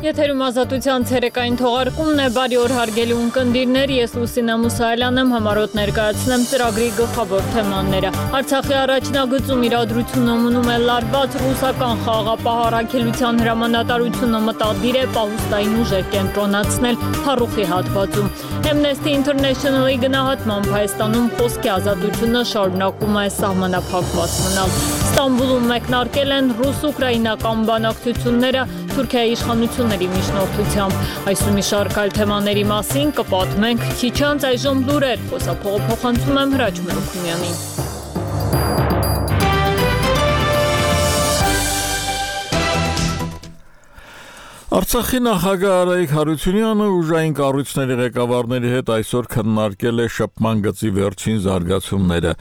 Եթերում ազատության ցերեկային թողարկումն է, բարի օր հարգելի ունկնդիրներ, ես Լուսինա Մուսայելյան եմ, համառոտ ներկայացնեմ ծրագրի գլխավոր թեմաները։ Արցախի առաջնագծում իրադրությունը մնում է լարված, ռուսական խաղաղապահ հրամանատարությունը մտադիր է պահուստային ուժեր կենտրոնացնել Փարուխի հատվածում։ Amnesty International-ի գնահատմամբ Հայաստանում խոսքի ազատությունը շարունակում է սահմանափակված մնալ։ Ստամբուլում մեկնարկել են ռուս-ուկրաինական բանակցությունները Թուրքիայի իշխանությունների միջնորդությամբ։ Այս ու մի շարք այլ թեմաների մասին կպատմենք քիչ անց, այժմ լուրեր, խոսափողը փոխանցում եմ Հրաչ Մելքումյանին։ Արցախի նախագահ Արայիկ Հարությունյանը ուժային կառույցների ղեկավարների հետ այսօր քննարկել է շփման գծի վերջին զարգացումները։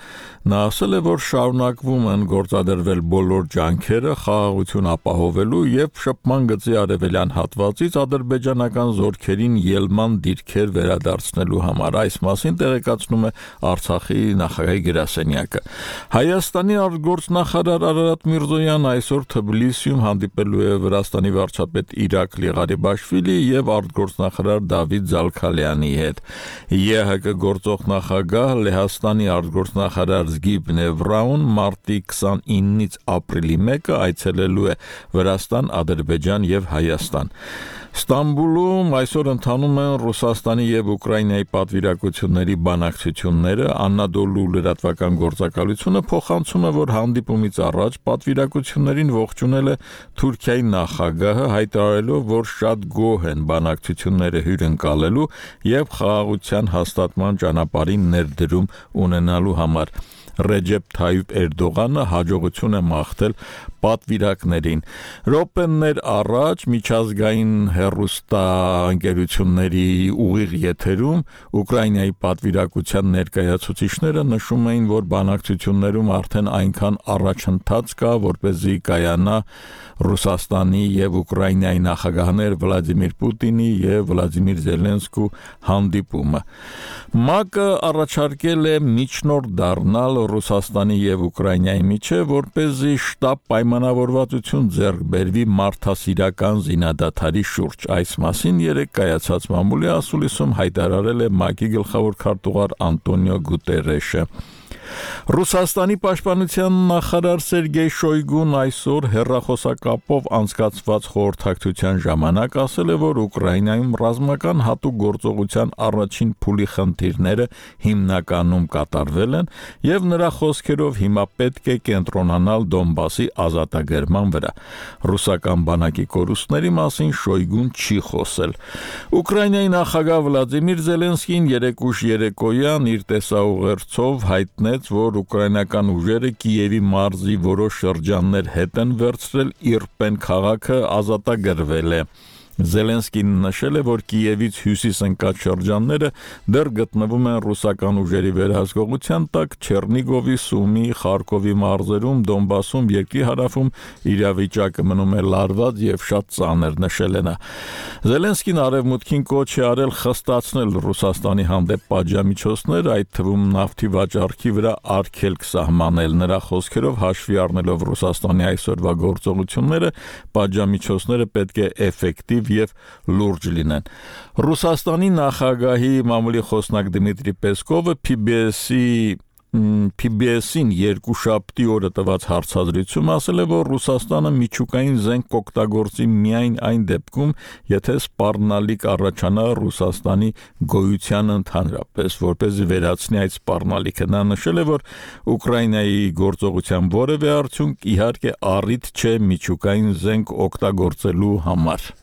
Նա ասել է, որ շարունակվում են գործադրվել բոլոր ջանքերը խաղաղություն ապահովելու եւ շփման գծի արևելյան հատվածից ադրբեջանական զորքերին ելման դիրքեր վերադարձնելու համար։ Այս մասին տեղեկացնում է Արցախի նախագահի գրասենյակը։ Հայաստանի արտգործնախարար Արարատ Միրզոյանը այսօր Թբիլիսիում հանդիպելու է Վրաստանի վարչապետ Իրակլի Ղարիբաշվիլի եւ արտգործնախարար Դավիթ Զալքալյանի հետ։ ԵՀԿ գործող նախագահ Լեհաստանի արտգործնախարար Զգիբնե Վրաուն մարտի 29-ից ապրիլի 1-ը այցելելու է Վրաստան, Ադրբեջան եւ Հայաստան։ Ստամբուլում այսօր ընթանում են Ռուսաստանի եւ Ուկրաինայի պատվիրակությունների բանակցությունները։ Անադոլու լրատվական գործակալությունը փոխանցում է, որ հանդիպումից առաջ պատվիրակություններին ողջունել է Թուրքիայի նախագահը, հայտարարելով, որ շատ գոհ են բանակցությունները հյուրընկալելու եւ խաղաղության հաստատման ճանապարհին ներդրում ունենալու համար։ Ռեջեփ Թայիփ Էրդողանը հաջողություն է մաղթել պատվիրակներին։ Րոպեներ առաջ միջազգային հեռուստաընկերությունների ուղիղ եթերում Ուկրաինայի պատվիրակության ներկայացուցիչները նշում էին, որ բանակցություններում արդեն այնքան առաջընթաց կա, որպեսզի կայանա Ռուսաստանի եւ Ուկրաինայի նախագահներ Վլադիմիր Պուտինի եւ Վլադիմիր Զելենսկու հանդիպումը։ ՄԱԿ-ը առաջարկել է միջնորդ դառնալ Ռուսաստանի եւ Ուկրաինայի միջեւ, որպեսզի շտապ պայմանավորվածություն ձեռք բերվի մարդասիրական զինադադարի շուրջ։ Այս մասին երեկ կայացած մամուլի ասուլիսում հայտարարել է ՄԱԿ-ի գլխավոր քարտուղար Անտոնիո Գուտերեշը։ Ռուսաստանի պաշտպանության նախարար Սերգեյ Շոյգուն այսօր հեռախոսակապով անցկացված խորհրդակցության ժամանակ ասել է, որ Ուկրաինայում ռազմական հատուկ գործողության առաջին փուլի խնդիրները հիմնականում կատարվել են եւ նրա խոսքերով հիմա պետք է կենտրոնանալ Դոնբասի ազատագրման վրա։ Ռուսական բանակի կորուստների մասին Շոյգուն չի խոսել։ Ուկրաինայի նախագահ Վլադիմիր Զելենսկին երեկ ուշ երեկոյան իր տեսաուղերձով հայտնեց, որ ուկրաինական ուժերը Կիևի մարզի որոշ շրջաններ հետ են վերցրել, Իրպեն քաղաքը ազատագրվել է։ Զելենսկին նշել է, որ Կիևից հյուսիս ընկած շրջանները դեռ գտնվում են ռուսական ուժերի վերահսկողության տակ, Չեռնիգովի, Սումի, Խարկովի մարզերում, Դոնբասում, երկրի հարավում իրավիճակը մնում է լարված եւ շատ ծանր, նշել է նա։ Զելենսկին արևմուտքին կոչ է արել խստացնել Ռուսաստանի հանդեպ պատժամիջոցներ, այդ թվում նավթի վաճառքի վրա արգելք սահմանել։ Նրա խոսքերով հաշվի առնելով Ռուսաստանի այսօրվա գործողությունները, պատժամիջոցները պետք է էֆեկտիվ եւ լուրջ լինեն։ Ռուսաստանի նախագահի մամուլի խոսնակ Դմիտրի Պեսկովը PBS-ին երկուշաբթի օրը տված հարցազրույցում ասել է, որ Ռուսաստանը միջուկային զենք կօգտագործի միայն այն դեպքում, եթե սպառնալիք առաջանա Ռուսաստանի գոյությանը ընդհանրապես, որպեսզի վերացնի այդ սպառնալիքը։ Նա նշել է, որ Ուկրաինայի գործողության որևէ արդյունք իհարկե առիթ չէ միջուկային զենք օգտագործելու համար։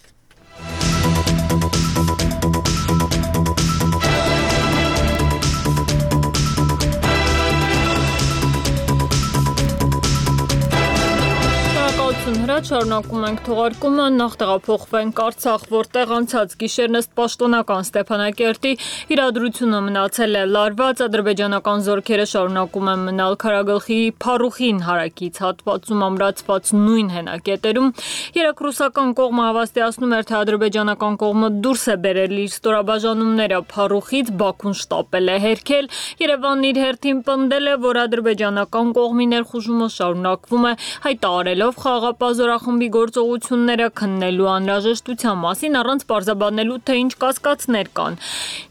Հրաչ շարունակում ենք թողարկումը, նախ տեղափոխվենք Արցախ, որտեղ անցած գիշերն ըստ պաշտոնական Ստեփանակերտի իրադրությունը մնացել է լարված, ադրբեջանական զորքերը շարունակում են մնալ Քարագլխի Փարուխին հարակից հատվածում ամրացված նույն հենակետերում։ Երեք ռուսական կողմը հավաստիացնում էր, թե ադրբեջանական կողմը դուրս է բերել իր ստորաբաժանումները Փարուխից, Բաքուն շտապել է հերքել։ Երևանն իր հերթին պնդել է, որ ադրբեջանական կողմի ներխուժումը շարունակվում է, հայտարարելով խաղաղ խաղաղապահ զորախմբի գործողությունները քննելու անհրաժեշտության մասին առանց պարզաբանելու, թե ինչ կասկածներ կան։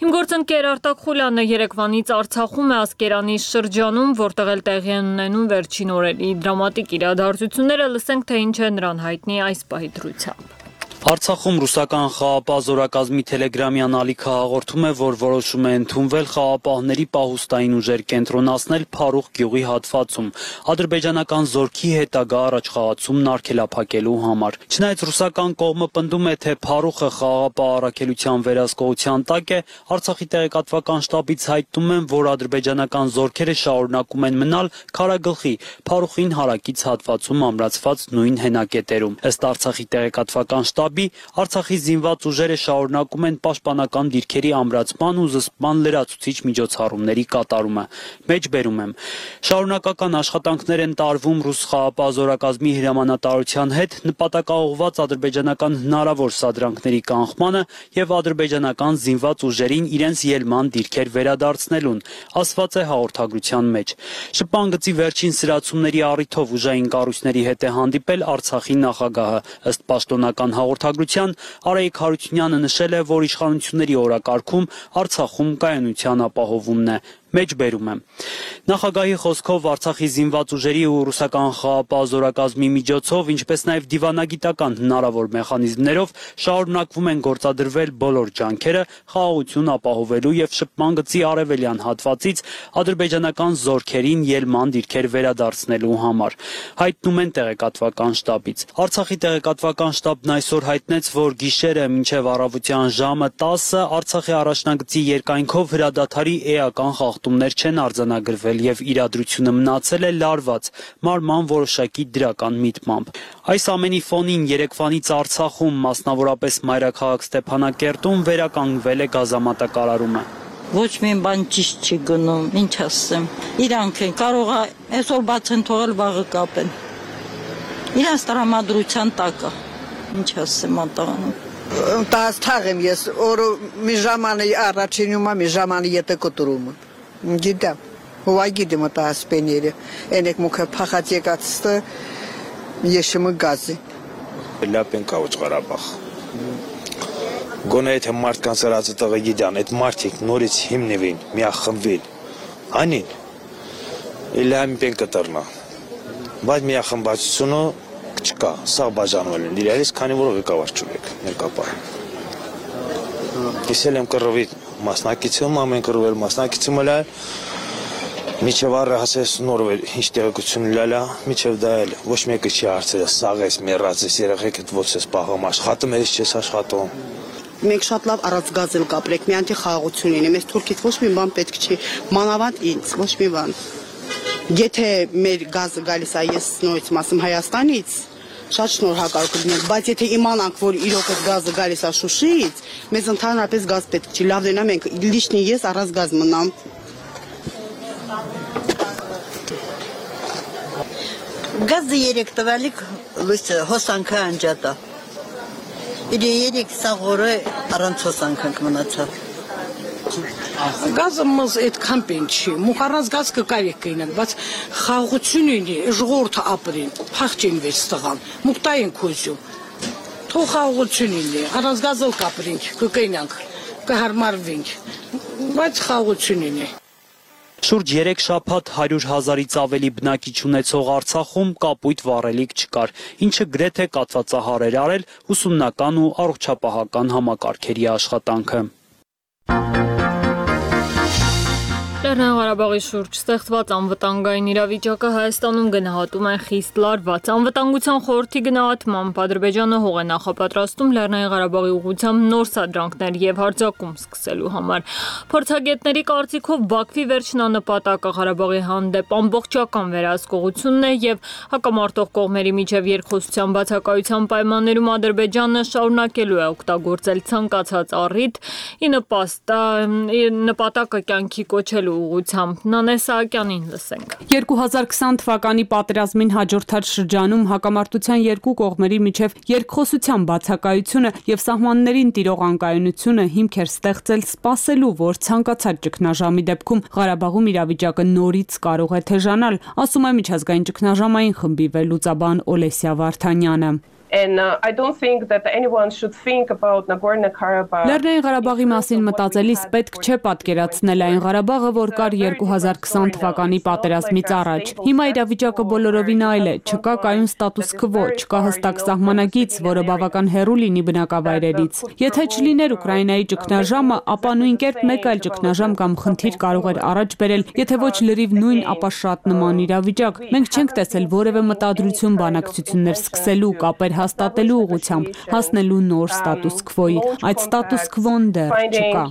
Իմ գործընկեր Արտակ Խուլյանը երեկվանից Արցախում է Ասկերանի շրջանում, որտեղ էլ տեղի են ունենում վերջին օրերի դրամատիկ իրադարձությունները, լսենք, թե ինչ է նրան հայտնի այս պահի դրությամբ։ Արցախում ռուսական խաղաղապահ զորակազմի տելեգրամյան ալիքը հաղորդում է, որ որոշում է ընդունվել խաղաղապահների պահուստային ուժեր կենտրոնացնել Փարուխ գյուղի հատվածում, ադրբեջանական զորքի հետագա առաջխաղացումն արգելափակելու համար։ Չնայած ռուսական կողմը պնդում է, թե Փարուխը խաղաղապահ առաքելության վերահսկողության տակ է, Արցախի տեղեկատվական շտաբից հայտնում են, որ ադրբեջանական զորքերը շարունակում են մնալ Քարագլխի Փարուխին հարակից հատվածում ամրացված նույն հենակետերում։ Ըստ Արցախի տեղեկատվական շտաբի Արցախի զինված ուժերը շարունակում են պաշտպանական դիրքերի ամրացման ու զսպման լրացուցիչ միջոցառումների կատարումը։ Մեջբերում եմ։ Շարունակական աշխատանքներ են տարվում ռուս խաղաղապահ զորակազմի հրամանատարության հետ նպատակաուղղված ադրբեջանական հնարավոր սադրանքների կանխմանը եւ ադրբեջանական զինված ուժերին իրենց ելման դիրքեր վերադարձնելուն, ասված է հաղորդագրության մեջ։ Շփման գծի վերջին սրացումների առիթով ուժային կառույցների հետ է հանդիպել Արցախի նախագահը։ Ըստ պաշտոնական հաղորդագրության Արայիկ Հարությունյանը նշել է, որ իշխանությունների օրակարգում Արցախում կայունության ապահովումն է։ Մեջբերում եմ։ Նախագահի խոսքով Արցախի զինված ուժերի ու ռուսական խաղաղապահ զորակազմի միջոցով, ինչպես նաև դիվանագիտական հնարավոր մեխանիզմներով շարունակվում են գործադրվել բոլոր ջանքերը խաղաղություն ապահովելու եւ շփման գծի արևելյան հատվածից ադրբեջանական զորքերին ելման դիրքեր վերադարձնելու համար, հայտնում են տեղեկատվական շտաբից։ Արցախի տեղեկատվական շտաբն այսօր հայտնեց, որ գիշերը մինչև առավոտյան ժամը 10-ը Արցախի առաջնագծի երկայնքով հրադադարի էական խախտումներ չեն արձանագրվել եւ իրադրությունը մնացել է լարված մարման որոշակի դրական միտմամբ։ Այս ամենի ֆոնին երեկվանից Արցախում, մասնավորապես մայրաքաղաք Ստեփանակերտում վերականգնվել է գազամատակարարումը։ Ոչ մի բան ճիշտ չի գնում, ինչ ասեմ։ Իրանք են կարող է այսօր բաց են թողել, վաղը կապեն։ Իրանց տրամադրության տակ է։ Ինչ ասեմ ատաղանում։ Տաս թաղեմ ես, օրը մի ժամանի առաջինում եմ, մի ժամանի ետը կտրում եմ։ Գիտեմ, հովա գիտեմ ատա ասպեները, ենեք մուքը պախած եկացստը եշիմը գազի։ Լապեն կավոչ Ղարաբաղ։ Գոնե եթե մարդկանց արածը տղը գիտան, այդ մարդիկ նորից հիմնվին, միախմբվին, անին, իլհամի պեն կտրնա, բայց միախմբացությունը չկա, սաղ բաժանվել են իրարից, քանի որ ղեկավար չունեք ներկապահ։ Ես էլ եմ կռվի մասնակիցում, ամեն կռվել մասնակիցում էլ այլ, միջև առը հասես նորվել ինչ տեղեկություն լալա, միջև դա էլ ոչ մեկը չի հարցել, սաղ ես, մեռած ես, երեխեքդ ոց ես պաղում, աշխատում ես չես աշխատում։ Մենք շատ լավ առանցգազել կապրեք, մի անտի խաղաղություն լինի, մեզ թուրքից ոչ մի բան պետք չի, մանավանդ ինձ, ոչ մի բան։ Եթե մեր գազը գալիս է, ես նորից մասում Հայաստանից, շատ շնորհակալ կլինենք, բայց եթե իմանանք, որ իրոք այդ գազը գալիս է Շուշիից, մեզ ընդհանրապես գազ պետք չի, լավ դենա մենք լիշնի ես առանց գազ մնամ։ Գազը երեք տվալիք հոսանքը անջատա։ Իր երեք սաղորը առանց հոսանքանք մնացավ։ Գազը մզ այդքան պեն չի, մուխառած գազ կկարեք կայնակ, բայց խաղաղություն ունի, ժողորդը ապրին, փախչին վեց տղան, մուկտային կոզյում, թող խաղաղություն ունի, առանց գազով կապրինք, կկայնանք, կհարմարվինք, բայց խաղաղություն ունի։ Շուրջ 3 շաբաթ 100,000-ից ավելի բնակիչ ունեցող Արցախում կապույտ վառելիք չկար, ինչը գրեթե կաթվածահար էր արել ուսումնական ու առողջապահական համակարգերի աշխատանքը։ Լեռնային Ղարաբաղի շուրջ ստեղծված անվտանգային իրավիճակը Հայաստանում գնահատում են խիստ լարված։ Անվտանգության խորհրդի գնահատմամբ Ադրբեջանը հող է նախապատրաստում Լեռնային Ղարաբաղի ուղղությամբ նոր սադրանքներ եւ հարձակում սկսելու համար։ Փորձագետների կարծիքով Բաքվի վերջնանպատակը Ղարաբաղի հանդեպ ամբողջական վերահսկողությունն է եւ հակամարտող կողմերի միջև երկխոսության բացակայության պայմաններում Ադրբեջանը շարունակելու է օգտագործել ցանկացած առիթ ի նպատակը կյանքի կոչելու ուղղությամբ։ Նանե Սահակյանին լսենք։ 2020 թվականի պատերազմին հաջորդած շրջանում հակամարտության երկու կողմերի միջև երկխոսության բացակայությունը եւ սահմաններին տիրող անկայունությունը հիմք էր ստեղծել սպասելու, որ ցանկացած ճգնաժամի դեպքում Ղարաբաղում իրավիճակը նորից կարող է թեժանալ, ասում է միջազգային ճգնաժամային խմբի վերլուծաբան Օլեսիա Վարդանյանը։ And I don't think that anyone should think about Nagorno-Karabakh. Լեռնային Ղարաբաղի մասին մտածելիս պետք չէ պատկերացնել այն Ղարաբաղը, որ կար 2020 թվականի պատերազմից առաջ։ Հիմա իրավիճակը բոլորովին այլ է, չկա կայուն ստատուս քվո, չկա հստակ սահմանագիծ, որը բավական հեռու լինի բնակավայրերից։ Եթե չլիներ Ուկրաինայի ճգնաժամը, ապա նույն կերպ մեկ այլ ճգնաժամ կամ խնդիր կարող էր առաջ բերել, եթե ոչ լրիվ նույն, ապա շատ նման իրավիճակ։ Մենք չենք տեսել որևէ մտադրություն բանակցություններ սկսելու, կապեր հաստատելու ուղղությամբ, հասնելու նոր ստատուս քվոյի, այդ ստատուս քվոն դեռ չկա։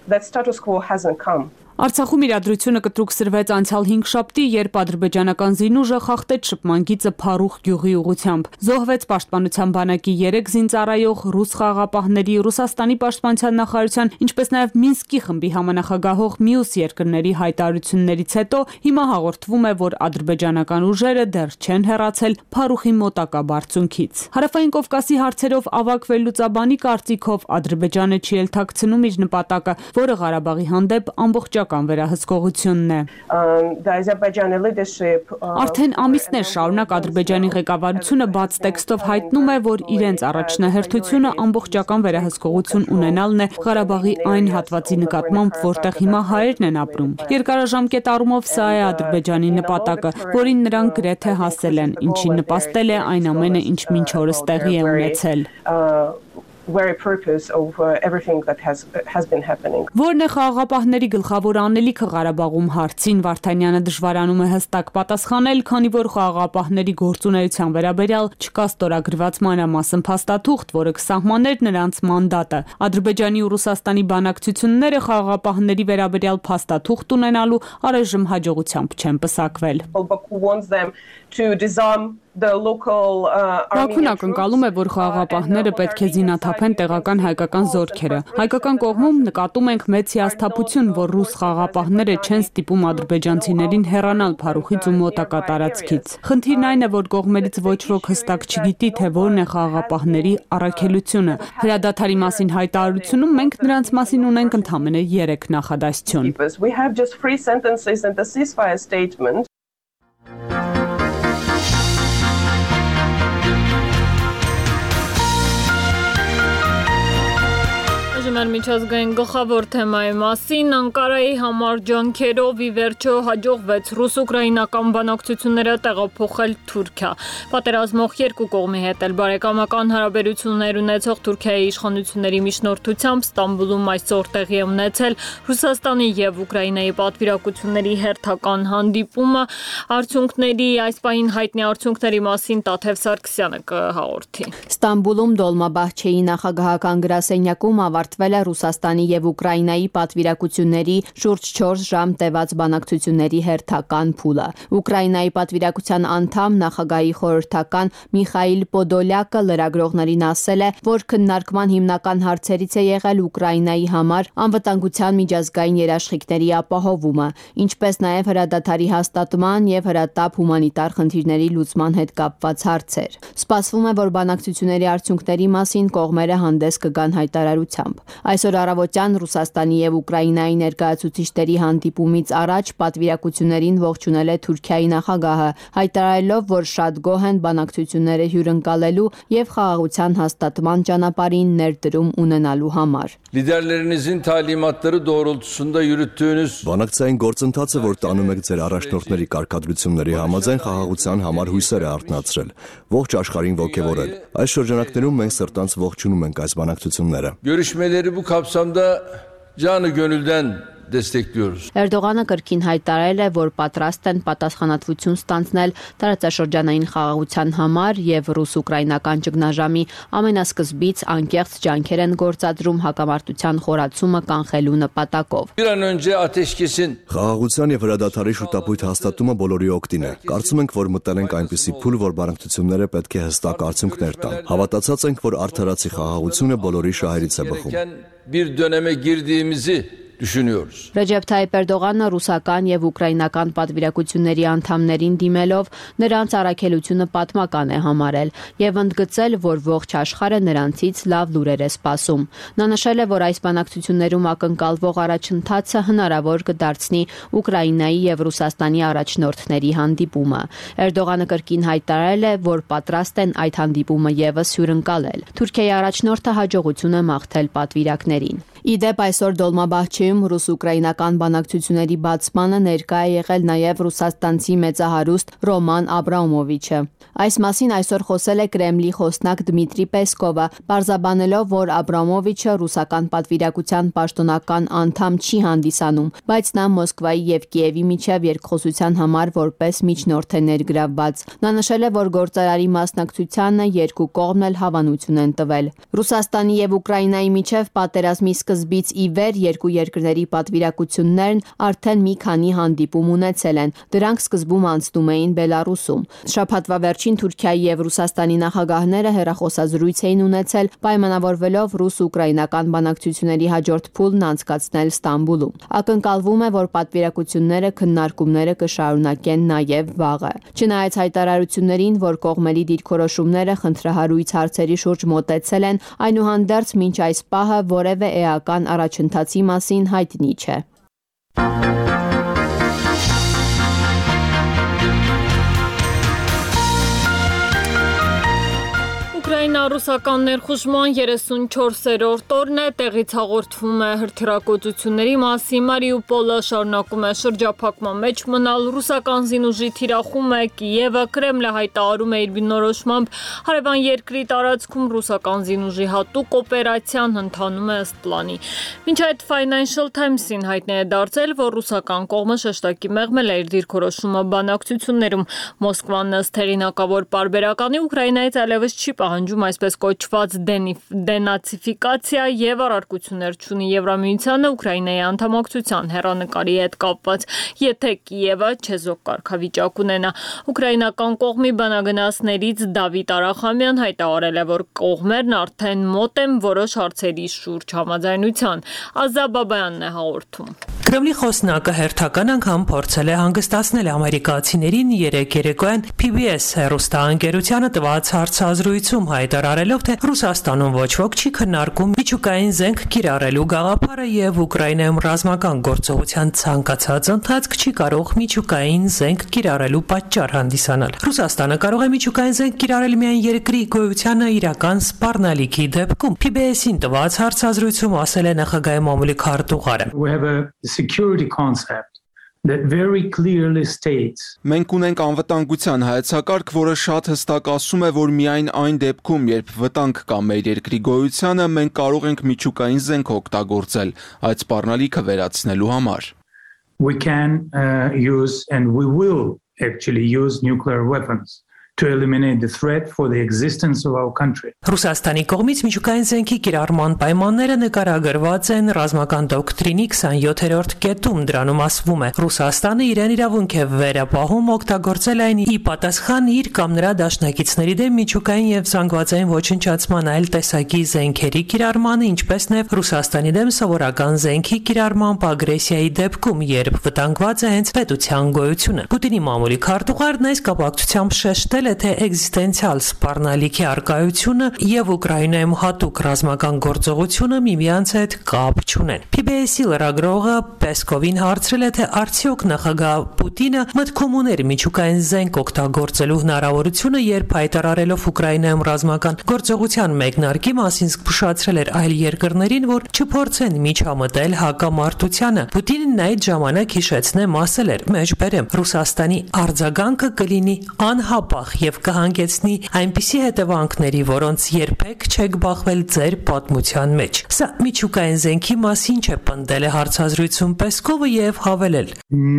That status quo hasn't come. Արցախում իրադրությունը կտրուկ սրվեց անցյալ 5 շաբթի, երբ ադրբեջանական զինուժը խախտեց շփման գիծը Փարուխ գյուղի ուղղությամբ։ Զոհվեց պաշտպանության բանակի 3 զինծառայող, ռուս խաղաղապահների, Ռուսաստանի պաշտպանության նախարարության, ինչպես նաև Մինսկի խմբի համանախագահող մյուս երկրների հայտարարություններից հետո հիմա հաղորդվում է, որ ադրբեջանական ուժերը դեռ չեն հեռացել Փարուխի մոտակա բարձունքից։ Հարավային Կովկասի հարցերով ավագ վերլուծաբանի կարծիքով Ադրբեջանը չի էլ թաքցնում իր նպատակը, որը Ղարաբաղի հանդեպ ամբողջ վերահսկողությունն է։ Արդեն ամիսներ շարունակ Ադրբեջանի ղեկավարությունը բաց տեքստով հայտնում է, որ իրենց առաջնահերթությունը ամբողջական վերահսկողություն ունենալն է Ղարաբաղի այն հատվածի նկատմամբ, որտեղ հիմա հայերն են ապրում։ Երկարաժամկետ առումով սա է Ադրբեջանի նպատակը, որին նրանք գրեթե հասել են, ինչին նպաստել է այն ամենը, ինչ մինչ օրս տեղի է ունեցել։ Very purpose of everything that has been happening. Որն է խաղաղապահների գլխավոր անելիքը Ղարաբաղում հարցին Վարդանյանը դժվարանում է հստակ պատասխանել, քանի որ խաղաղապահների գործունեության վերաբերյալ չկա ստորագրված մանրամասն փաստաթուղթ, որը կսահմաներ նրանց մանդատը։ Ադրբեջանի ու Ռուսաստանի բանակցությունները խաղաղապահների վերաբերյալ փաստաթուղթ ունենալու առայժմ հաջողությամբ չեն պսակվել։ Բաքուն ակնկալում է, որ խաղաղապահները պետք է զինաթափեն տեղական հայկական զորքերը։ Հայկական կողմում նկատում ենք մեծ հիասթափություն, որ ռուս խաղաղապահները չեն ստիպում ադրբեջանցիներին հեռանալ Փարուխից ու մոտակա տարածքից։ Խնդիրն այն է, որ կողմերից ոչ ոք հստակ չգիտի, թե որն է խաղաղապահների առաքելությունը։ Հրադադարի մասին հայտարարությունում մենք նրանց մասին ունենք ընդամենը 3 նախադասություն։ We have just 3 sentences in the ceasefire statement. Մեր միջազգային գլխավոր թեմայի մասին Անկարայի համար ջանքերով ի վերջո հաջողվեց ռուս-ուկրաինական բանակցությունները տեղափոխել Թուրքիա։ Պատերազմող երկու կողմի հետ էլ բարեկամական հարաբերություններ ունեցող Թուրքիայի իշխանությունների միջնորդությամբ Ստամբուլում այսօր տեղի է ունեցել Ռուսաստանի եւ Ուկրաինայի պատվիրակությունների հերթական հանդիպումը։ Արդյունքների այս պահին հայտնի արդյունքների մասին Տաթև Սարգսյանը կհաղորդի։ Ստամբուլում Դոլմաբահչեի նախագահական գրասենյակում ավարտվել է Ռուսաստանի եւ Ուկրաինայի պատվիրակությունների շուրջ 4 ժամ տևած բանակցությունների հերթական փուլը։ Ուկրաինայի պատվիրակության անդամ նախագահի խորհրդական Միխայիլ Պոդոլյակը լրագրողներին ասել է, որ քննարկման հիմնական հարցերից է եղել Ուկրաինայի համար անվտանգության միջազգային երաշխիքների ապահովումը, ինչպես նաեւ հրադադարի հաստատման եւ հրատապ հումանիտար խնդիրների լուծման հետ կապված հարցեր։ Սպասվում է, որ բանակցությունների արդյունքների մասին կողմերը հանդես կգան հայտարարությամբ։ Այսօր առավոտյան Ռուսաստանի եւ Ուկրաինայի ներկայացուցիչների հանդիպումից առաջ պատվիրակություններին ողջունել է Թուրքիայի նախագահը, հայտարարելով, որ շատ գոհ են բանակցությունները հյուրընկալելու եւ խաղաղության հաստատման ճանապարհին ներդրում ունենալու համար։ Liderlerinizin talimatları doğrultusunda yürüttüğünüz բանակցային գործընթացը, որ տանում եք ձեր առաջնորդների կարգադրությունների համաձայն խաղաղության համար հույսեր է արթնացրել, ողջ աշխարհին ողջևորել։ Այս շրջանակներում մենք սրտանց ողջունում ենք այս բանակցությունները։ Görüşmeleri bu kapsamda canı gönülden destekliyoruz. Էրդողանը կրկին հայտարարել է, որ պատրաստ են պատասխանատվություն ստանձնել տարածաշրջանային խաղաղության համար եւ ռուս-ուկրաինական ճգնաժամի ամենասկզբից անկեղծ ջանքեր են գործադրում հակամարտության խորացումը կանխելու նպատակով։ Bir an önce ateşkesin Խաղաղության եւ հրադադարի շուտապույտ հաստատումը բոլորի օգտին է։ Կարծում ենք, որ մտել ենք այնպիսի փուլ, որ բանակցությունները պետք է հստակ արդյունքներ տան։ Հավատացած ենք, որ արդարացի խաղաղությունը բոլորի շահերից է բխում։ bir döneme girdiğimizi düşünüyoruz. Ռեջեփ Թայիփ Էրդողանը ռուսական եւ ուկրաինական պատվիրակությունների անդամներին դիմելով նրանց առաքելությունը պատմական է համարել եւ ընդգծել, որ ողջ աշխարհը նրանցից լավ լուրեր է սպասում։ Նա նշել է, որ այս բանակցություններում ակնկալվող առաջընթացը հնարավոր կդարձնի Ուկրաինայի եւ Ռուսաստանի առաջնորդների հանդիպումը։ Էրդողանը կրկին հայտարարել է, որ պատրաստ են այդ հանդիպումը եւս հյուրընկալել։ Թուրքիայի առաջնորդը հաջողություն է մաղթել պատվիրակներին։ Իդեպ այսօր Դոլմաբահչեում ռուս-ուկրաինական բանակցությունների բացմանը ներկա է եղել նաև ռուսաստանցի մեծահարուստ Ռոման Աբրամովիչը։ Այս մասին այսօր խոսել է Կրեմլի խոսնակ Դմիտրի Պեսկովը, պարզաբանելով, որ Աբրամովիչը ռուսական պատվիրակության պաշտոնական անդամ չի հանդիսանում, բայց նա Մոսկվայի եւ Կիևի միջև երկխոսության համար որպես միջնորդ է ներգրավված։ Նա նշել է, որ գործարարի մասնակցությանը երկու կողմն էլ հավանություն են տվել։ Ռուսաստանի եւ Ուկրաինայի միջև պատերազմի սկզբից ի վեր երկու երկրների պատվիրակություններն արդեն մի քանի հանդիպում ունեցել են։ Դրանք սկզբում անցնում էին Բելարուսում։ Շաբաթվա վերջին Թուրքիայի եւ Ռուսաստանի նախագահները հեռախոսազրույց էին ունեցել, պայմանավորվելով ռուս-ուկրաինական բանակցությունների հաջորդ փուլն անցկացնել Ստամբուլում։ Ակնկալվում է, որ պատվիրակությունները քննարկումները կշարունակեն նաև վաղը։ Չնայած հայտարարություններին, որ կողմերի դիրքորոշումները խնդրահարույց հարցերի շուրջ մոտեցել են, այնուհանդերձ մինչ այս պահը որևէ էական առաջընթացի մասին հայտնի չէ։ Ռուսական ներխուժման 34-րդ օրն է, տեղից հաղորդվում է հրթիռակոծությունների մասին։ Մարիուպոլը շարունակում է շրջափակման մեջ մնալ, ռուսական զինուժի թիրախում է Կիևը, Կրեմլը հայտարարում է իր բնորոշմամբ հարևան երկրի տարածքում ռուսական զինուժի հատուկ օպերացիան ընթանում է ըստ պլանի։ Մինչ այդ Financial Times-ին հայտնի է դարձել, որ ռուսական կողմը շեշտակի մեղմել է իր դիրքորոշումը բանակցություններում։ Մոսկվան ըստ հեղինակավոր պարբերականի Ուկրաինայից այլևս չի պահանջում այսպես կոչված դենացիֆիկացիա եւ առարկություններ չունի Եվրամիությանը Ուկրաինայի անդամակցության հեռանկարի հետ կապված, եթե Կիևը չեզոք կարգավիճակ ունենա։ Ուկրաինական կողմի բանագնացներից Դավիթ Արախամյան հայտարարել է, որ կողմերն արդեն մոտ են որոշ հարցերի շուրջ համաձայնության։ Ազա Բաբայանն է հաղորդում։ Կրեմլի խոսնակը հերթական անգամ փորձել է հանգստացնել ամերիկացիներին երեկ երեկոյան PBS հեռուստաընկերությանը տված հարցազրույցում հայտարարելով, թե Ռուսաստանում ոչ ոք չի քննարկում միջուկային զենք կիրառելու գաղափարը եւ Ուկրաինայում ռազմական գործողության ցանկացած ընթացք չի կարող միջուկային զենք կիրառելու պատճառ հանդիսանալ։ Ռուսաստանը կարող է միջուկային զենք կիրառել միայն երկրի գոյությանը իրական սպառնալիքի դեպքում։ PBS-ին տված հարցազրույցում ասել է նախագահի մամուլի քարտուղարը։ Security concept that very clearly states Մենք ունենք անվտանգության հայեցակարգ, որը շատ հստակ ասում է, որ միայն այն դեպքում, երբ վտանգ կա մեր երկրի գոյությանը, մենք կարող ենք միջուկային զենք օգտագործել այդ սպառնալիքը վերացնելու համար։ We can use and we will actually use nuclear weapons to eliminate the threat for the existence of our country. Ռուսաստանի կողմից միջուկային զենքի կիրառման պայմանները նկարագրված են ռազմական դոկտրինի 27-րդ կետում։ Դրանում ասվում է. Ռուսաստանը իրեն իրավունք է վերապահում օգտագործել այն ի պատասխան իր կամ նրա դաշնակիցների դեմ միջուկային եւ զանգվածային ոչնչացման այլ տեսակի զենքերի կիրառմանը, ինչպես նաեւ Ռուսաստանի դեմ սովորական զենքի կիրառման ագրեսիայի դեպքում, երբ վտանգված է հենց պետության գոյությունը։ Պուտինի մամուլի քարտուղարն այս կապակցությամբ շեշտել է, թե էգզիստենցիալ սպառնալիքի արկայությունը եւ Ուկրաինայում հատուկ ռազմական գործողությունը միմյանց հետ կապ չունեն։ PBS-ի լրագրողը Պեսկովին հարցրել է, թե արդյոք նախագահ Պուտինը մտքում ուներ միջուկային զենք օգտագործելու հնարավորությունը, երբ հայտարարելով Ուկրաինայում ռազմական գործողության մեկնարկի մասին զգուշացրել էր այլ երկրներին, որ չփորձեն միջամտել հակամարտությանը։ Պուտինն այդ ժամանակ հիշեցնեմ ասել էր. «Մեջբերեմ, Ռուսաստանի արձագանքը կլինի անհապաղ եւ կհանգեցնի այնպիսի հետևանքների, որոնց երբեք չեք բախվել ձեր պատմության մեջ։ Սա միջուկային զենքի մասին չէ, պնդել է հարցազրույցում Պեսկովը եւ հավելել.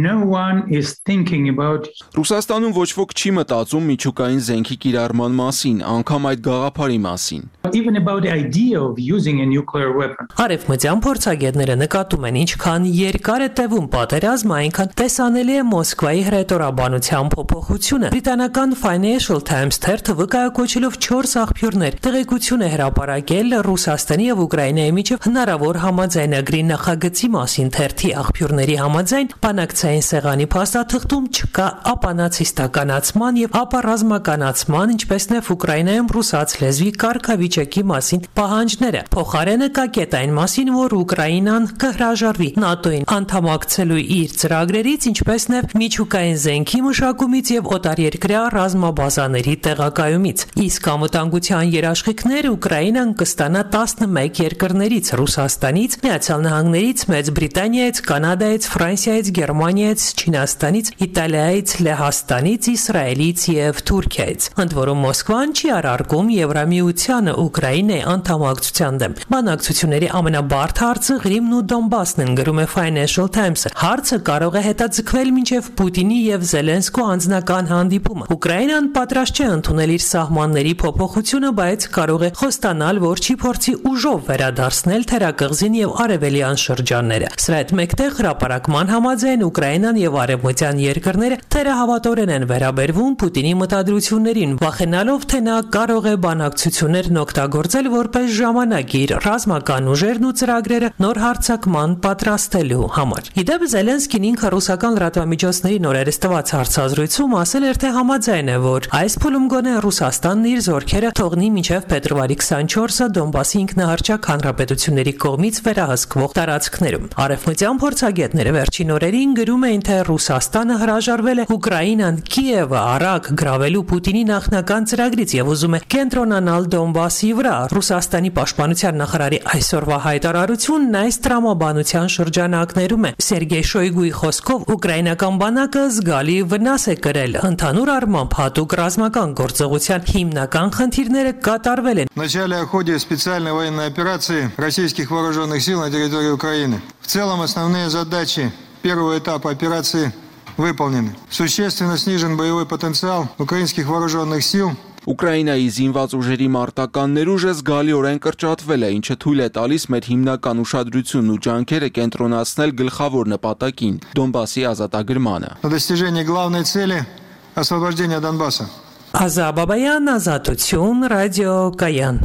No one is thinking about Ռուսաստանում ոչ ոք չի մտածում միջուկային զենքի կիրառման մասին, անգամ այդ գաղափարի մասին։ even about the idea of using a nuclear weapon. Արևմտյան փորձագետները նկատում են, ինչքան երկար է տևում պատերազմը, այնքան տեսանելի է Մոսկվայի հրետորաբանության փոփոխությունը։ Բրիտանական Financial Times թերթը վկայակոչելով 4 աղբյուրներ տեղեկություն է հրապարակել Ռուսաստանի եւ Ուկրաինայի միջև հնարավոր համաձայնագրի նախագծի մասին։ Թերթի աղբյուրների համաձայն բանակցային սեղանի փաստաթղթում չկա ապանացիստականացման եւ ապառազմականացման, ինչպես նաեւ Ուկրաինայում ռուսաց լեզվի կարգավիճակի մասին պահանջները։ Փոխարենը կա կետ այն մասին, որ Ուկրաինան կհրաժարվի ՆԱՏՕ-ին անդամակցելու իր ծրագրերից, ինչպես նաեւ միջուկային զենքի մշակումից եւ օտարերկրյա ռազմաբազաների տեղակայումից։ Իսկ անվտանգության երաշխիքներ Ուկրաինան կստանա 11 երկրներից՝ Ռուսաստանից, Միացյալ Նահանգներից, Մեծ Բրիտանիայից, Կանադայից, Ֆրանսիայից, Գերմանիայից, Չինաստանից, Իտալիայից, Լեհաստանից, Իսրայելից եւ Թուրքիայից։ Ընդ որում Մոսկվան չի արարքում Եվրամիությանը Ուկրաինայի անդամակցության դեմ։ Բանակցությունների ամենաբարդ հարցը Ղրիմն ու Դոնբասն են, գրում է Financial Times-ը։ Հարցը կարող է հետաձգվել մինչև Պուտինի եւ Զելենսկու անձնական հանդիպումը։ Ուկրաինան պատրաստ չէ ընդունել իր սահմանների փոփոխությունը, բայց կարող է խոստանալ, որ չի փորձի ուժով վերադարձնել թերակղզին եւ արևելյան շրջանները։ Սրա հետ մեկտեղ հրապարակման համաձայն Ուկրաինան եւ արևմտյան երկրները թերահավատորեն են վերաբերվում Պուտինի մտադրություններին, վախենալով, թե նա կարող է բանակցություններն օգտագործել որպես ժամանակիր ռազմական ուժերն ու ծրագրերը նոր հարձակման պատրաստելու համար։ Իդեպ Զելենսկին ինքը ռուսական լրատվամիջոցների նորերս տված հարցազրույցում ասել էր, թե համաձայն է, որ այս փուլում գոնե Ռուսաստանն իր զորքերը թողնի մինչև փետրվարի 24-ը Դոնբասի ինքնահռչակ հանրապետությունների կողմից վերահսկվող տարածքներում։ Արևմտյան փորձագետները վերջին օրերին գրում էին, թե Ռուսաստանը հրաժարվել է Ուկրաինան Կիևը առակ գրավելու Պուտինի նախնական ծրագրից եւ ուզում է կենտրոնանալ Դոնբասի վրա։ Ռուսաստանի պաշտպանության նախարարի այսօրվա հայտարարությունն այս տրամաբանության շրջանակներում է։ Սերգեյ Շոյգուի խոսքով ուկրաինական բանակը զգալի վնաս է կրել։ Ընդհանուր առմամբ հատուկ ռազմական գործողության հիմնական խնդիրները կատարվել են։ В начале о ходе специальной военной операции российских вооруженных сил на территории Украины. В целом основные задачи первого этапа операции выполнены. Существенно снижен боевой потенциал украинских вооруженных сил. Ուկրաինայի զինված ուժերի մարտական ներուժը զգալիորեն կրճատվել է, ինչը թույլ է տալիս մեր հիմնական ուշադրությունն ու ջանքերը կենտրոնացնել գլխավոր նպատակին՝ Դոնբասի ազատագրմանը։ На достижение главной цели освобождения Донбасса. Ազաբաբայան, Ազատություն, Ռադիո Կայան։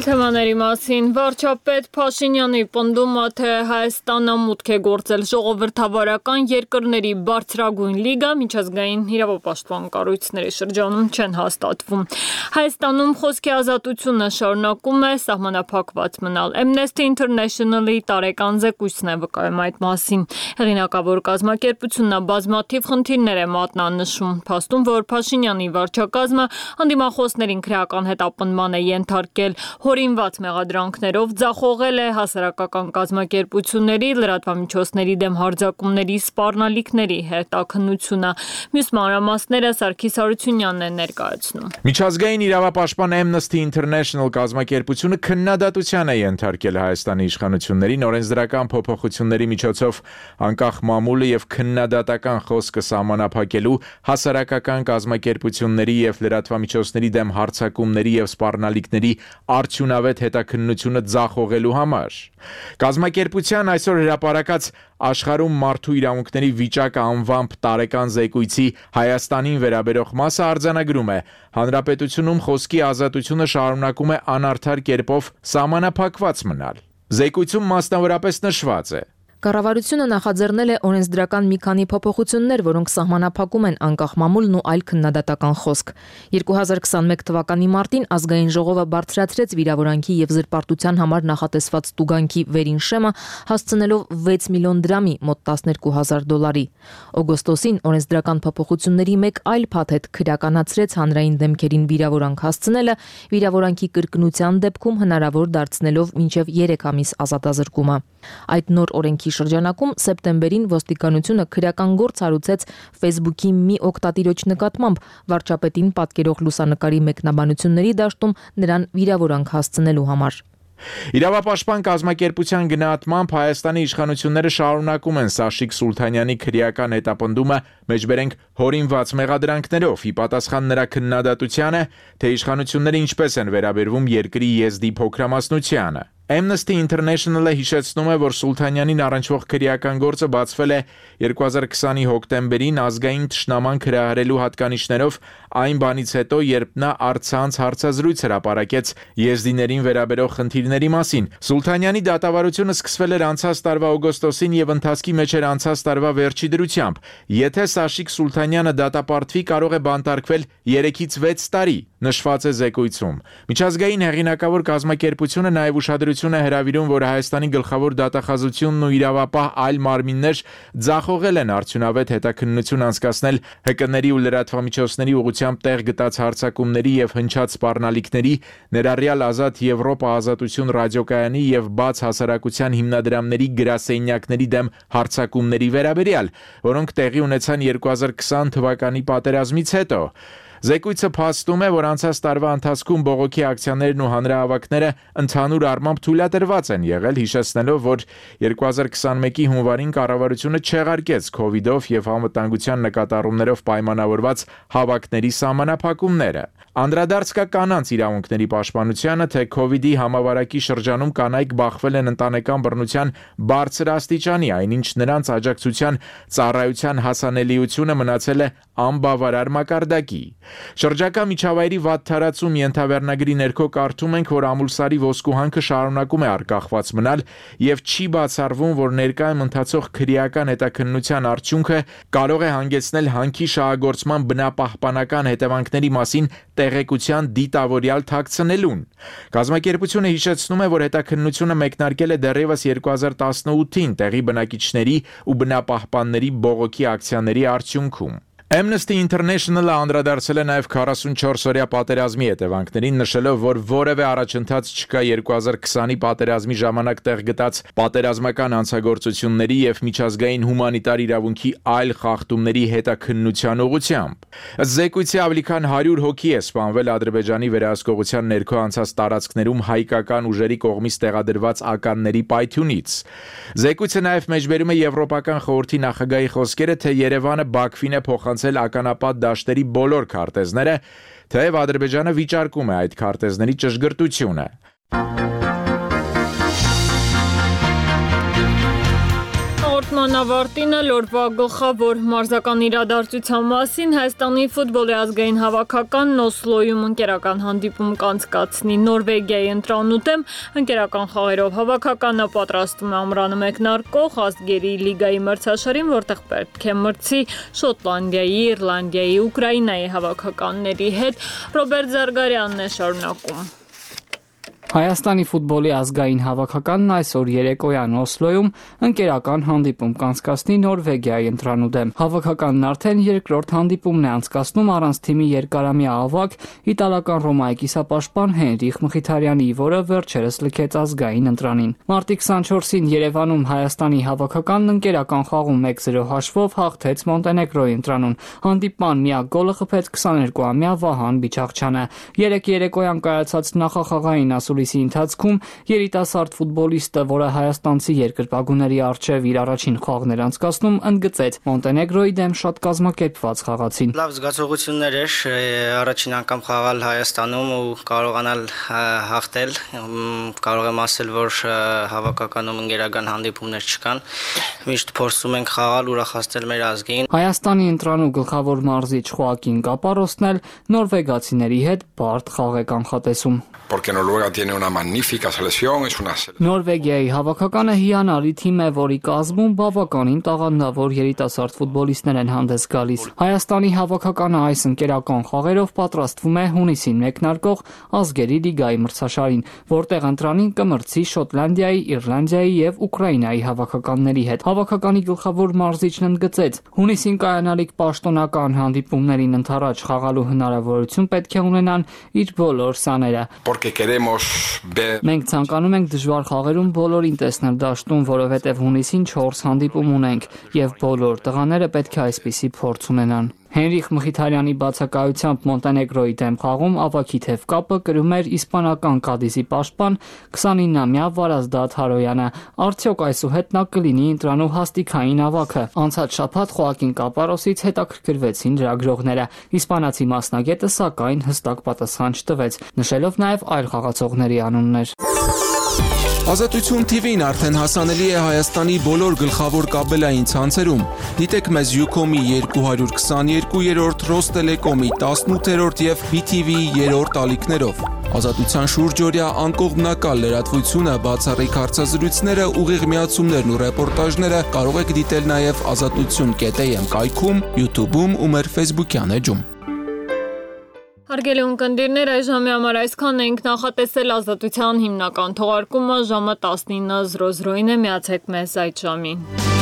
Թեմաների մասին վարչապետ Փաշինյանի պնդումը, թե Հայաստանը մուտք է գործել ժողովրդավարական երկրների բարձրագույն լիգա, միջազգային իրավապաշտպան կառույցների շրջանում չեն հաստատվում։ Հայաստանում խոսքի ազատությունը շարունակում է սահմանափակված մնալ։ Amnesty International-ի տարեկան զեկույցն է վկայում այդ մասին։ Հեղինակավոր կազմակերպությունն բազմաթիվ խնդիրներ է մատնանշում, փաստում, որ Փաշինյանի վարչակազմը անդիմախոսներին քրեական հետապնդման է ենթարկել, հորինված մեղադրանքներով ձախողել է հասարակական կազմակերպությունների, լրատվամիջոցների դեմ հարձակումների սպառնալիքների հետաքննությունը։ Մյուս մանրամասները Սարգիս Հարությունյանն է ներկայացնում։ Միջազգային իրավապաշտպան Amnesty International կազմակերպությունը քննադատության է ենթարկել Հայաստանի իշխանություններին օրենսդրական փոփոխությունների միջոցով անկախ մամուլը եւ քննադատական խոսքը սահմանափակելու, հասարակական կազմակերպությունների եւ լրատվամիջոցների դեմ հարձակումների եւ սպառնալիքների արդյունավետ հետաքննությունը ձախողելու համար։ Կազմակերպության այսօր հրապարակած աշխարհում մարդու իրավունքների վիճակը անվամբ տարեկան զեկույցի Հայաստանին վերաբերող մասը արձանագրում է. հանրապետությունում խոսքի ազատությունը շարունակում է անարդար կերպով սահմանափակված մնալ։ Զեկույցում մասնավորապես նշված է. Կառավարությունը նախաձեռնել է օրենսդրական մի քանի փոփոխություններ, որոնք սահմանափակում են անկախ մամուլն ու այլ քննադատական խոսք։ 2021 թվականի մարտին ազգային ժողովը բարձրացրեց վիրավորանքի եւ զրպարտության համար նախատեսված տուգանքի վերին շեմը, հասցնելով 6 միլիոն դրամի, մոտ $12,000։ Օգոստոսին օրենսդրական փոփոխությունների մեկ այլ փաթեթ քրեականացրեց հանրային դեմքերին վիրավորանք հասցնելը, վիրավորանքի կրկնության դեպքում հնարավոր դարձնելով մինչև 3 ամիս ազատազրկումը։ Այդ նոր օրենքի շրջանակում սեպտեմբերին ոստիկանությունը քրեական գործ հարուցեց Facebook-ի մի օգտատիրոջ նկատմամբ վարչապետին պատկերող լուսանկարի մեկնաբանությունների դաշտում նրան վիրավորանք հասցնելու համար։ Իրավապաշտպան կազմակերպության գնահատմամբ Հայաստանի իշխանությունները շարունակում են Սաշիկ Սուլթանյանի քրեական հետապնդումը մեջբերենք հորինված մեղադրանքներով, ի պատասխան նրա քննադատությանը, թե իշխանությունները ինչպես են վերաբերվում երկրի եզդի փոքրամասնությանը։ Amnesty International-ը հիշեցնում է, որ Սուլթանյանին առնչվող քրեական գործը բացվել է 2020-ի հոկտեմբերին ազգային թշնամանք հրահրելու հատկանիշներով այն բանից հետո, երբ նա առցանց հարցազրույց հրապարակեց եզդիներին վերաբերող խնդիրների մասին։ Սուլթանյանի դատավարությունը սկսվել էր անցած տարվա օգոստոսին եւ ընթացքի մեջ էր անցած տարվա վերջի դրությամբ։ Եթե Սաշիկ Սուլթանյանը դատապարտվի, կարող է բանտարկվել 3-ից 6 տարի, նշված է զեկույցում։ Միջազգային հեղինակավոր կազմակերպությունը նաև ուշադրություն է հրավիրում, որ Հայաստանի գլխավոր դատախազությունն ու իրավապահ այլ մարմիններ ձախողել են արդյունավետ հետաքննություն անցկացնել ՀԿ-ների ու լրատվամիջոցների ուղղությամբ տեղ գտած հարձակումների եւ հնչած սպառնալիքների, ներառյալ Ազատ Եվրոպա ազատություն ռադիոկայանի եւ բաց հասարակության հիմնադրամների գրասենյակների դեմ հարձակումների վերաբերյալ, որոնք տեղի ունեցան 2020 թվականի պատերազմից հետո։ Զեկույցը փաստում է, որ անցած տարվա ընթացքում բողոքի ակցիաներն ու հանրահավաքները ընդհանուր առմամբ թույլատրված են եղել, հիշեցնելով, որ 2021-ի հունվարին կառավարությունը չեղարկեց COVID-ով եւ անվտանգության նկատառումներով պայմանավորված հավաքների սահմանափակումները։ Անդրադարձ կա կանանց իրավունքների պաշտպանությանը, թե COVID-ի համավարակի շրջանում կանայք բախվել են ընտանեկան բռնության բարձր աստիճանի, այնինչ նրանց աջակցության ծառայության հասանելիությունը մնացել է անբավարար մակարդակի։ Շրջակա միջավայրի վատթարացում ենթավերնագրի ներքո կարդում ենք, որ ամուլսարի ոսկուհանքը շարունակում է արկախված մնալ եւ չի բացառվում, որ ներկայում ընթացող քրեական հետաքննության արդյունքը կարող է հանգեցնել հանքի շահագործման բնապահպանական հետևանքների մասին տեղեկության դիտավորյալ թաքցնելուն։ Կազմակերպությունը հիշեցնում է, որ հետաքննությունը մեկնարկել է դեռևս 2018-ին տեղի բնակիչների ու բնապահպանների բողոքի ակցիաների արդյունքում։ Amnesty International-ը անդրադարձել է նաև 44-օրյա պատերազմի հետևանքներին, նշելով, որ որևէ առաջընթաց չկա 2020-ի պատերազմի ժամանակ տեղ գտած պատերազմական հանցագործությունների եւ միջազգային հումանիտար իրավունքի այլ խախտումների հետաքննության ուղղությամբ։ Զեկույցի ավելի քան 100 հոգի է սպանվել Ադրբեջանի վերահսկողության ներքո անցած տարածքներում հայկական ուժերի կողմից տեղադրված ականների պայթյունից։ Զեկույցը նաև մեջբերում է Եվրոպական խորհրդի նախագահի խոսքերը, թե Երևանը Բաքվին է փոխանցել ականապատ դաշտերի բոլոր քարտեզները, թեև Ադրբեջանը վիճարկում է այդ քարտեզների ճշգրտությունը։ Մանավարտինը լորվա գլխավոր մարզական իրադարձության մասին Հայաստանի ֆուտբոլի ազգային հավաքականն Օսլոյում ընկերական հանդիպում կանցկացնի Նորվեգիայի ընտրանուտեմ ընկերական խաղերով հավաքականը պատրաստում է ամռանը մեկնարկող ազգերի լիգայի մրցաշարին, որտեղ պետք է մրցի Շոտլանդիայի, Իռլանդիայի, Ուկրաինայի հավաքականների հետ։ Ռոբերտ Զարգարյանն է շարունակում։ Հայաստանի ֆուտբոլի ազգային հավաքականն այսօր երեկոյան Օսլոյում ընկերական հանդիպում կանցկացնի Նորվեգիայի ընտրանուտեմ։ Հավաքականն արդեն երկրորդ հանդիպումն է անցկացնում առանց թիմի երկարամյա ավագ իտալական Ռոմայի կիսապաշտպան Հենրիխ Մխիթարյանի, որը վերջերս լքեց ազգային ընտրանին։ Մարտի 24-ին Երևանում Հայաստանի հավաքականն ընկերական խաղում 1-0 հաշվով հաղթեց Մոնտենեգրոյի ընտրանուն։ Հանդիպման միակ գոլը խփեց 22-ամյա Վահան Բիչաղչյանը։ Երեկոյան կայացած նախախաղային ասուլիսի ընթացքում երիտասարդ ֆուտբոլիստը, որը հայաստանցի երկրպագուների առջև իր առաջին խաղն էր անցկացնում, ընդգծեց Մոնտենեգրոյի դեմ շատ կազմակերպված խաղացին։ Լավ զգացողություններ էր առաջին անգամ խաղալ Հայաստանում ու կարողանալ հաղթել։ Կարող եմ ասել, որ հավաքականում ընկերական հանդիպումներ չկան։ Միշտ փորձում ենք խաղալ, ուրախացնել մեր ազգին։ Հայաստանի ընտրանու գլխավոր մարզիչ Խոակին Կապարոսն էլ նորվեգացիների հետ բարդ խաղ է կանխատեսում։ Porque Noruega tiene una magnífica selección, es una Նորվեգիայի հավաքականը հիանալի թիմ է, որի կազմում բավականին տաղանդավոր երիտասարդ ֆուտբոլիստներ են հանդես գալիս։ Հայաստանի հավաքականը այս ընկերական խաղերով պատրաստվում է հունիսին մեկնարկող ազգերի լիգայի մրցաշարին, որտեղ ընտրանին կմրցի Շոտլանդիայի, Իռլանդիայի եւ Ուկրաինայի հավաքականների հետ։ Հավաքականի գլխավոր մարզիչն ընդգծեց. հունիսին կայանալիք պաշտոնական հանդիպումներին ընդառաջ խաղալու հնարավորություն պետք է ունենան իր բոլոր սաները։ Porque queremos Մենք ցանկանում ենք դժվար խաղերում բոլորին տեսնել դաշտում, որովհետև հունիսին 4 հանդիպում ունենք, եւ բոլոր տղաները պետք է այսպիսի փորձ ունենան։ Հենրիխ Մխիթարյանի բացակայությամբ Մոնտենեգրոյի դեմ խաղում ավագի թև կապը կրում էր իսպանական Կադիզի պաշտպան 29-ամյա Վարազդատ Հարոյանը։ Արդյոք այսուհետ նա կլինի ընտրանու հաստիքային ավագը։ Անցած շաբաթ Խոակին Կապարոսից հետաքրքրվեցին լրագրողները։ Իսպանացի մասնագետը սակայն հստակ պատասխան չտվեց, նշելով նաև այլ խաղացողների անուններ։ Ազատություն TV-ն արդեն հասանելի է Հայաստանի բոլոր գլխավոր կաբելային ցանցերում։ Դիտեք մեզ Ucom-ի 222-րդ, Ռոստելեկոմի 18-րդ եւ BTV-ի 3-րդ ալիքներով։ Ազատության շուրջօրյա անկողմնակալ լրատվությունը, բացառիկ հարցազրույցները, ուղիղ միացումներն ու ռեպորտաժները կարող եք դիտել նաեւ azatutun.am կայքում, YouTube-ում ու մեր Facebook-յան էջում։ Հարգելի ունկնդիրներ, այս ժամի համար այսքան ենք նախատեսել ազատության հիմնական թողարկումը ժամը 19:00-ին է, միացեք մեզ այդ ժամին։